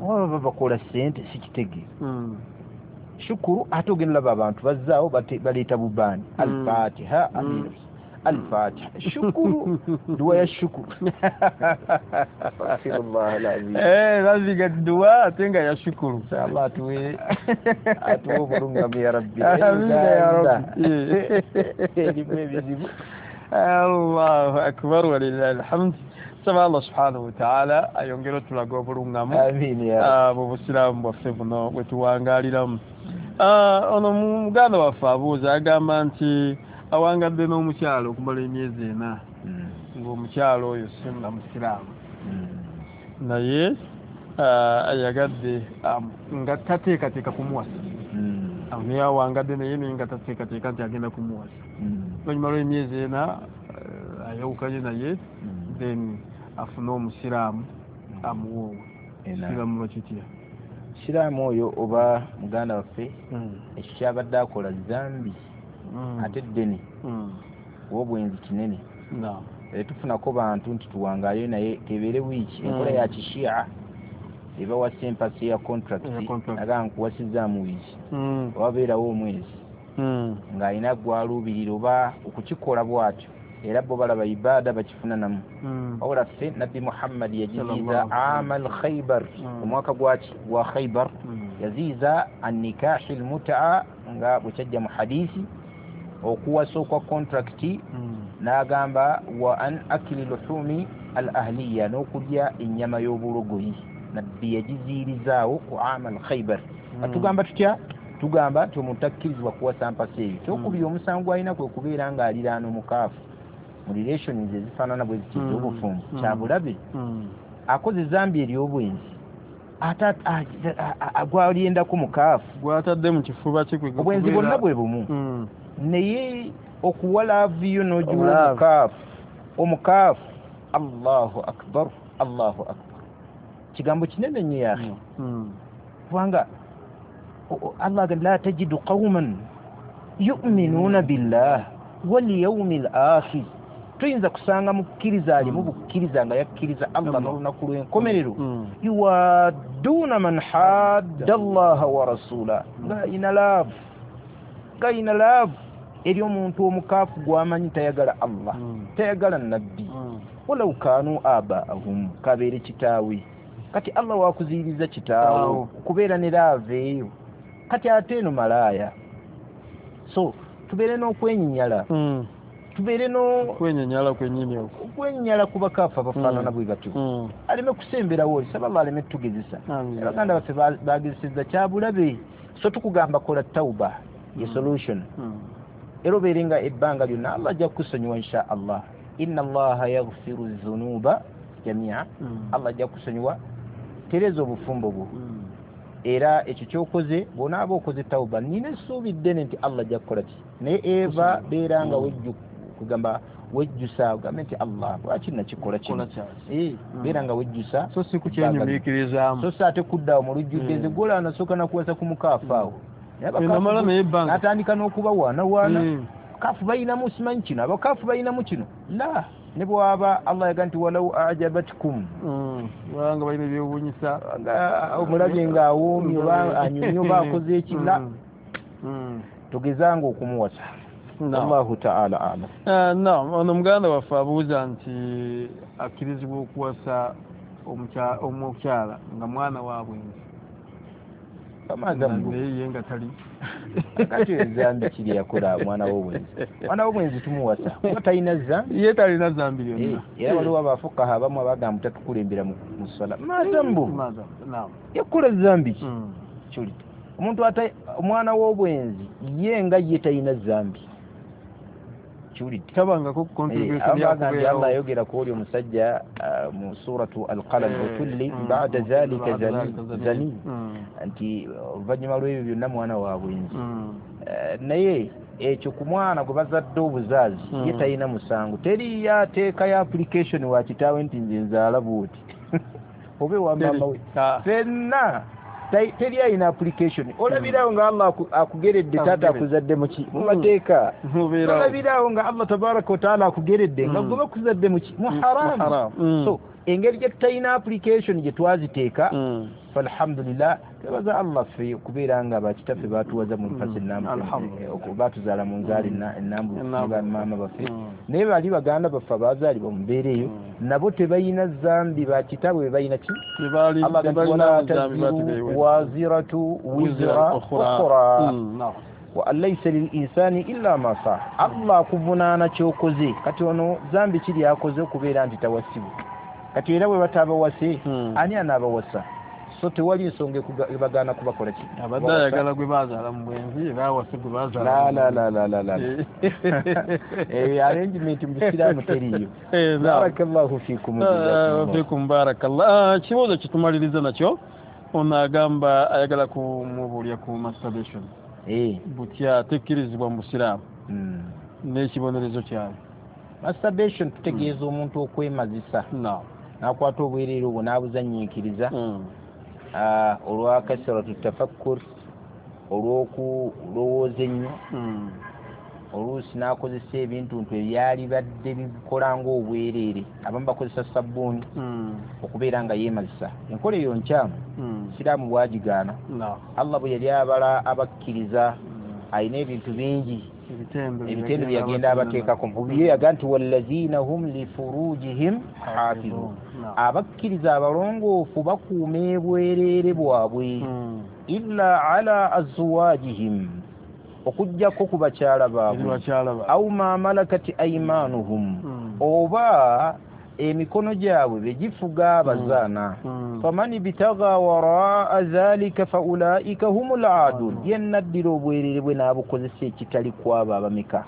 oba baba bakola ssente sikitegeera. Shukuru ate ogenda olaba abantu bazzaawo baleeta bubaani, Al-Fatiha, Al-Fatiha, shukuru, duwa ya shukuru. Astaghfirullah al-azim. Eh, baziga duwa ate nga ya shukuru. Allah atuwe atuwe obulungamu ya Rabbi. Amiina ya Rabbi. Erimu ebizibu. Allahu akbar walillahi alhamd. Saba Allah subhanahu wa ta'ala ayongere otulaga obulungamu. Amiina ya Rabbi. Mu busiraamu bwaffe buno bwe tuwangaaliramu. Ono muganda waffe abuuza agamba nti awangadde n'omukyalo okumala emyezi ena, ng'omukyalo oyo si musiraamu, naye ayagadde nga tateekateeka kumuwasa, naye awangadde naye naye nga tateekateeka nti agenda kumuwasa. Oluvannyuma lw'emyezi ena ayawukanye naye, then afune omusiraamu amuwoowe. Siraamu lwakitya? Siraamu oyo oba muganda waffe ekyo kyabadde akola zambi ate ddene obwenzi kinene. Tufunako bantu nti tuwangayo naye kebeere wiiki enkola ya kishia ebawasa empasi ya contract, aga nkuwasizaamu wiiki obabeerawo omwezi ng'alina gwaluubirira oba okukikola bw'atyo, era bo balaba ibaada bakifunanamu. Wabula ffe Nabbi Muhammad yajiziiza amal Khaybar, omwaka gwaki gwa Khaybar, yaziiza annikahi almutaa nga bwe kyajja mu hadisi, okuwasa okwa contract, n'agamba wa an akili luhumi al ahliya, n'okulya ennyama y'obulogoyi. Nabbi yagiziirizaawo ku amal Khaybar. Tugamba tutya? Tugamba nti omuntu takkirizibwa kuwasa mpasa eyo. Kyokubiri, omusango alina kwe kubeera ng'aliraana omukaafu mu relations ezifaanana bwe ziti ez'obufumbo, kyabulabe. Akoze zambi ery'obwenzi, ate gwalyendako mukaafu gwatadde mu kifuba kye. Obwenzi bwonna bwe bumu, naye okuwa laavu yo n'ogiwa omukaafu, omukaafu, Allahu akbar, Allahu akbar, kigambo kinene nnyo yaakhi. Kubanga Allah agamba la tajidu qawman yu'minuna billah wal yawmil akhir, tuyinza kusanga mukkiriza alimu bukkiriza nga yakkiriza Allah n'olunaku lw'enkomerero, yuwadduna man hadda Allaha wa rasula, ng'ayina laavu, ng'ayina laavu eri omuntu omukaafu gw'amanyi tayagala Allah, tayagala nabbi, walau kaanu abaahum, kabeere kitaawe. Kati Allah wakuziyiriza kitaawe okubeera ne laavu eyo, kati ate eno malaaya. So tubeere n'okwenyinyala, tubeere n'okwenyinyala kwennyini okwo, okwenyinyala ku bakaafu abafaanana bwe batyo, aleme kusemberawo oli, saba Allah aleme tugezesa. Abaganda baffe bagezesezza kyabulabe. So tukugamba kola tauba ye solution, era obeere nga ebbanga lyonna Allah ajja kukusonyiwa insha Allah. Inna Allaha yaghfiru dhunuba jamia, Allah ajja kukusonyiwa. Tereza obufumbo bwo, era ekyo kyokoze bw'onaaba okoze tauba, nina essuubi ddene nti Allah ajja kukola ki. Naye eva beera nga wejju kugamba wejjusa, ogambe nti Allah lwaki nakikola kino, beera nga wejjusa, so si kukyenyumiikirizaamu, so si ate kuddawo mu lujjudde. Nze gwolaba nasooka nakuwasa ku mukaafu awo, n'atandika n'okubawaanawaana, kaafu balinamu simanyi kino, abakaafu balinamu kino. La, ne bwaba Allah yaga nti walau ajabatkum, nga balina ebyewuunyisa, nga omulabye ng'awoomye oba anyumye oba akoze eki, la, tugezanga okumuwasa. Allahu ta'ala a'lam. Naam, ono muganda waffe abuuza nti akkirizibwa okuwasa omukyala nga mwana wa bwenzi, naye ye nga tali. Kati ezambi kiri yakola mwana w'obwenzi, mwana w'obwenzi tumuwasa kuba talina zambi, ye talina zambi lyonna. Era waliwo abafukaha abamu abagamba tatukulembera mu ssala, mazambu yakola zambi ki kyolita omuntu ata omwana w'obwenzi ye nga ye talina zambi kyolita tabangako contribution ya Allah ayogera ku oli omusajja mu suratu Al-Qalam, utulli ba'da zalika zani, nti oluvannyuma lw'ebyo byonna mwana wa bwenzi. Naye ekyo ku mwana gwe bazadde obuzaazi ye talina musango, teriyo ateekayo application wa kitaawe nti nze nzaala bw'oti oba ewa maama we, ffenna teri ayina application. Olabirawo nga Allah akugeredde taata akuzadde muki mu mateeka, olabirawo nga Allah tabaraka wataala akugeredde nga gwe bakuzadde muki mu haramu. So engeri gye tutalina application gye twaziteeka, falhamdulillah, twebaza Allah ffe okubeera nga bakitaffe batuwaza mu nfasi ennambu, batuzaala mu nzaala ennambu ne bamaama baffe, naye bali baganda baffe abazaalibwa mu mbeera eyo nabo tebalina zambi, bakitaabwe be balina ki? Allah agamba wala taziru waziratu wizra ukhra wa an laysa lil insani illa ma saa. Allah akuvunaana ky'okoze. Kati ono zambi kiri akoze okubeera nti tawasibwa, kati era bwe batabawase ani anaabawasa? So tewali nsonga ebagaana kubakola ki, abadde ayagala gwe bazaala mu bwenzi era awase gwe bazaala. La la la la la, eyo arrangement mu busiraamu teriiyo. Barakallahu fikum, fikum barakallah. Kibuuzo kitumaliriza nakyo, ono agamba ayagala kumubuulya ku masturbation butya tekkirizibwa mu busiraamu n'ekibonerezo kyayo. Masturbation tutegeeza omuntu okwemazisa, n'akwata obwereere obwo n'abuzannyiikiriza olwa kasratu tafakkur, olw'okulowooza ennyo, oluusi n'akozesa ebintu nti ebyali badde bikola ng'obwereere. Abamu bakozesa sabbuuni okubeera nga yeemazisa. Enkola eyo nkyamu, siraamu bwagigaana. Allah bwe yali abala abakkiriza alina ebintu bingi ebitendo byagenda abateekako. Ye yaga nti wallazina hum lifurujihim hafizun, abakkiriza abalongoofu bakuuma ebwereere bwabwe, illa ala azwajihim, okuggyako ku bakyala baabwe, au ma malakati aymanuhum, oba Emikono gyabwe begifuga abazaana. Faman ibtagha waraa dhalika faulaika humul aadun, yenna addira obwerere bwe n'abukozesa ekitali kwabo abameka,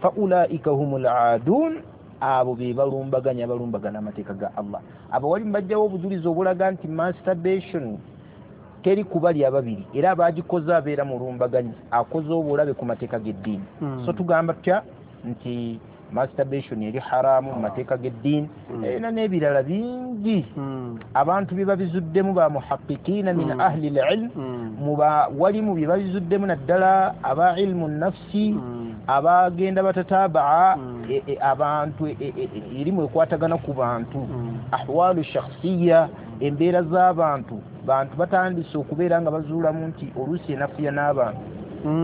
faulaika humul aadun, abo be balumbaganya, balumbagana amateeka ga Allah. Abawali mbajjawo obujulizi obulaga nti masturbation teri kubali ababiri, era abagikoze abeera mulumbaganyi, akoze obulabe ku mateeka g'eddiini. So tugamba tutya nti masturbation eri haramu mu mateeka g'eddiini, era n'ebirala bingi abantu bye babizuddemu ba muhaqiqiina min ahli l-ilm, walimu bye babizuddemu naddala aba ilmu nafsi, abagenda batatabaa abantu, erimu ekwatagana ku bantu, ahwalu shakhsiya, embeera z'abantu. Bantu batandise okubeera nga bazuulamu nti oluusi enafuya n'abantu,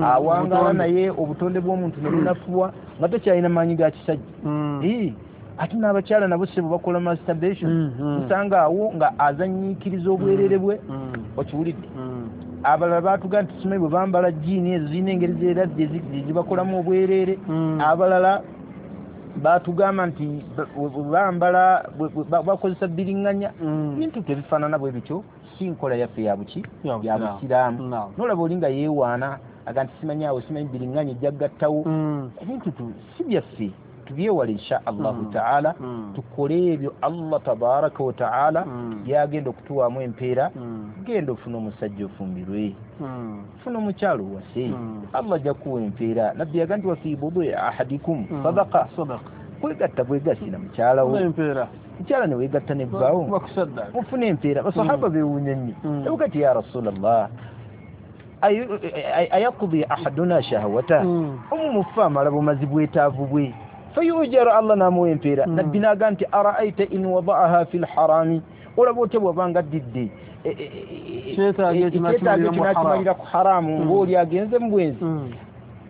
awangaala naye obutonde bw'omuntu ne bunafuwa nga takyalina maanyi ga kisajja. Ate n'abakyala nabo sebo bakola masturbation, nsanga awo nga azanyiikiriza obwerere bwe, okiwulidde. Abalala baatuga nti simanyi bwe bambala jiini ezo zirina engeri zeeradde zibakolamu obwerere. Abalala batugamba nti bambala bakozesa biriŋŋanya, bintu tebifaanana bwe bityo, si nkola yaffe ya buki ya busiraamu. Nolaba oli nga yeewaana aga nti simanyi awo simanyi biriŋŋanya ejja kugattawo, ebintu si byaffe, tubyewale insha Allahu taala, tukole ebyo Allah tabaraka wa taala byagenda okutuwaamu empeera. Genda ofune omusajja ofumbirwe, funa omukyalo owase, Allah ajja kuwa empeera. Nabbi yaga nti wafi budui ahadikum sadaqa, kwegatta bwegassi na mukyala wo, mukyala ne weegatta ne bbaawo mufune empeera. Basahaba beewuunya nnyo, ebuga ti ya Rasulallah, ayaqdi ahaduna shahwata, omu mufe amala bumazi bwetaavu bwe, fayujaru, Allah n'amuwa empeera. Nabbi n'aga nti araaita in wadaaha fi lharami, olaba otya bw'abanga addidde ekyetaago ekyo n'akimalira ku haramu, ng'oli agenze mu bwenzi,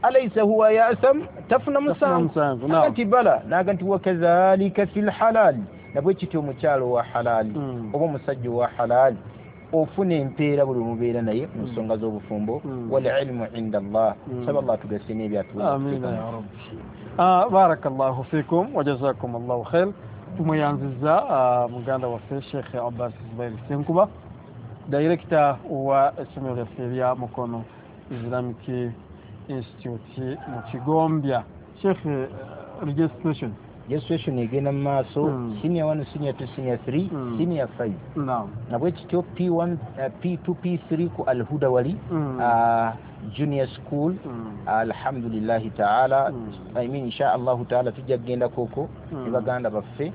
alaysa huwa yasam, tafuna musango? Nti bala. N'aga nti wakadhalika fi lhalali, nabwe kityo omukyalo owa halaali oba omusajja owa halaali ofuna empeera buli omubeera naye mu nsonga z'obufumbo. Wal ilmu inda Allah, saba Allah tugase n'ebyatuwa. Amiina ya rabbi. Barakallahu fikum wa jazakum Allahu khair. Tumweyanziza muganda waffe Sheikh Abbas Zubair Ssenkuba, director wa essomero lyaffe erya Mukono Islamic Institute mu Kigombya. Sheikh, registration registration egenda mu maaso, senior one, senior two, senior three, senior five. Nabwe kityo P one, P two, P three ku Alhuda wali junior school. Alhamdulillahi taala, I mean insha Allahu taala tujja kugenda koko ne baganda baffe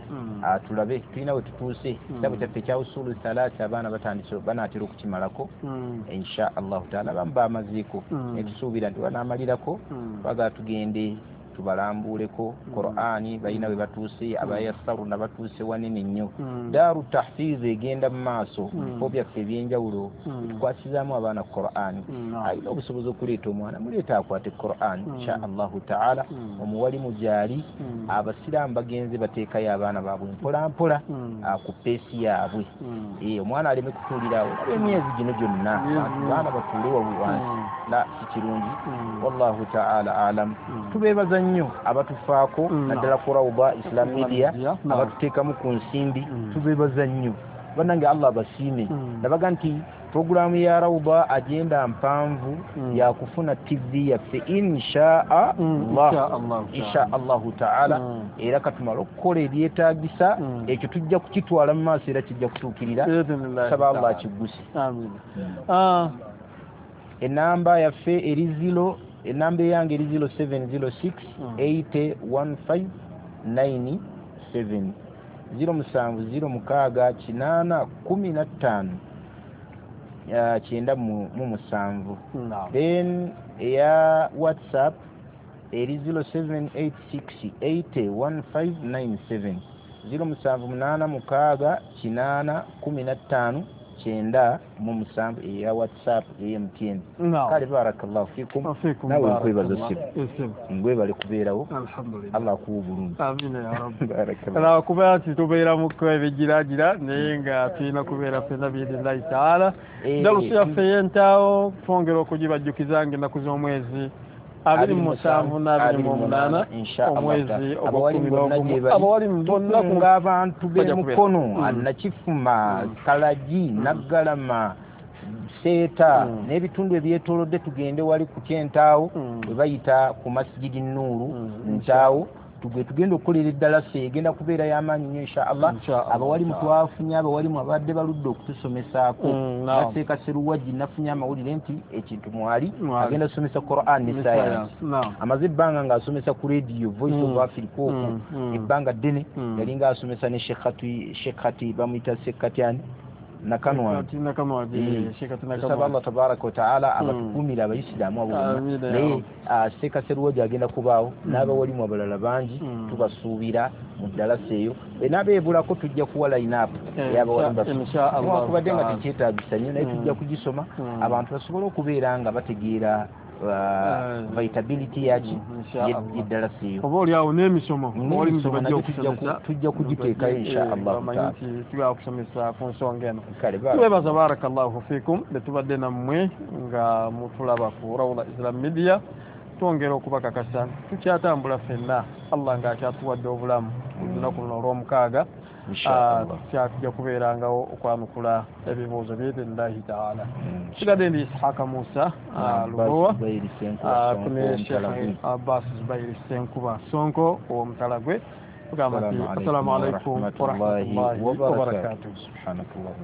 tulabe tulina we tutuuse. Kitabo kyaffe ekya usulu thalatha abaana batandise banaatera okukimalako insha Allahu taala, abamu bamazeeko ne tusuubira nti banaamalirako, twagala tugende tubalambuleko Qur'ani, balina we batuuse, abayasaruna batuuse wanene nnyo. Daaru tahfiz egenda mu maaso, bifo byaffe ebyenjawulo tukwasizaamu abaana Qur'ani. Alina obusobozi okuleeta omwana, muleeta akwate Qur'ani insha Allahu taala. Omuwalimu gyali, abasiraamu bagenze bateekayo abaana baabwe mpola mpola ku peesi yaabwe, omwana aleme kutuulirawo emyezi gino gyonna, abaana batuule wabu wansi, la si kirungi. Wallahu taala alam. Tubeebaza nnyo abatufaako naddala ku Rawda Islam Media, abatuteekamu ku nsimbi, tubeebaza nnyo bannange, Allah abasiime. Nabaga nti programu ya Rawda agenda mpanvu yakufuna T V yaffe insha Allah, insha Allahu taala, era katumala okukola ebyetaagisa, ekyo tujja kukitwala mu maaso era kijja kutuukirira, saba Allah akigguse. Enamba yaffe eri zero, enamba eyange eri zero seven zero six eight one five nine seven, zero musanvu zero mukaaga kinaana kumi na ttaano kyenda mu musanvu. Then eya WhatsApp eri zero seven eight six eight one five nine seven, zero musanvu munaana mukaaga kinaana kumi na ttaano kyenda mu musanvu eya WhatsApp eya M T N. Kale barakallahu fikum, nawe nkwebaza ssibo, ngwebale kubeerawo, Allah akuwe obulungi. Amiina ya rabbi. Ala kubeera nti tubeeramuko ebigiragira naye nga tulina kubeera ffenna biidinillahi taala. Darusu yaffe ey'entaawo twongera okugibajjukiza ng'ennaku z'omwezi abiri mu musanvu n'abiri mu munaana omwezi ogw'ekkumi n'ogumu. Abawalimu bonna tukunga abantu b'emukono, Nakifuma, Kalagi, Naggalama, Seeta n'ebitundu ebyetoolodde, tugende wali ku Kyentaawo we bayita ku Masjidi Nuuru Ntaawo, tugwe tugenda okukolera eddalasa egenda kubeera y'amaanyi nnyo insha Allah. Abawalimu twafunye abawalimu abadde baludde okutusomesaako, Naseeka Seruwagi nafunye amawulire nti ekintu mwali agenda kusomesa Quran ne science. Amaze ebbanga ng'asomesa ku radio Voice of Africa okwo ebbanga ddene, yalinga asomesa ne Sheikh Khati, bamuyita Sekatyani Nakanwagi. Tusaba Allah tabaraka wataala abatukuumire abayisiraamu abo bonna. Naye Seeka Seruwagi agenda kubaawo n'abawalimu abalala bangi, tubasuubira mu ddalasa eyo. Enaabeebulako tujja kuwa line-up ey'abawalimu baffe, newankubadde nga tekyetaagisa nnyo, naye tujja kugisoma abantu basobole okubeera nga bategeera vitability yaki yeddalasa eyo. Oba oli awo n'emisomo tujja kugiteekayo insha Allah taala, tugenda kusomesa ku nsonga eno. Tubebaza, barakallahu fikum, betubadde nammwe nga mutulaba ku Rawda Islam Media. Twongera okubakakasa tukyatambula ffenna, Allah ng'akyatuwadde obulamu olunaku luno olw'omukaaga, tujja kubeerangawo okwanukula ebibuuzo biidhinillahi taala. Sigadde ndi Ishaka Musa Lubowa kune Sheikh Abbas Zubairi Ssenkuba Sonko ow'omutala gwe, tugamba nti assalamu alaikum warahmatullahi wabarakatuh. Subhanakallah.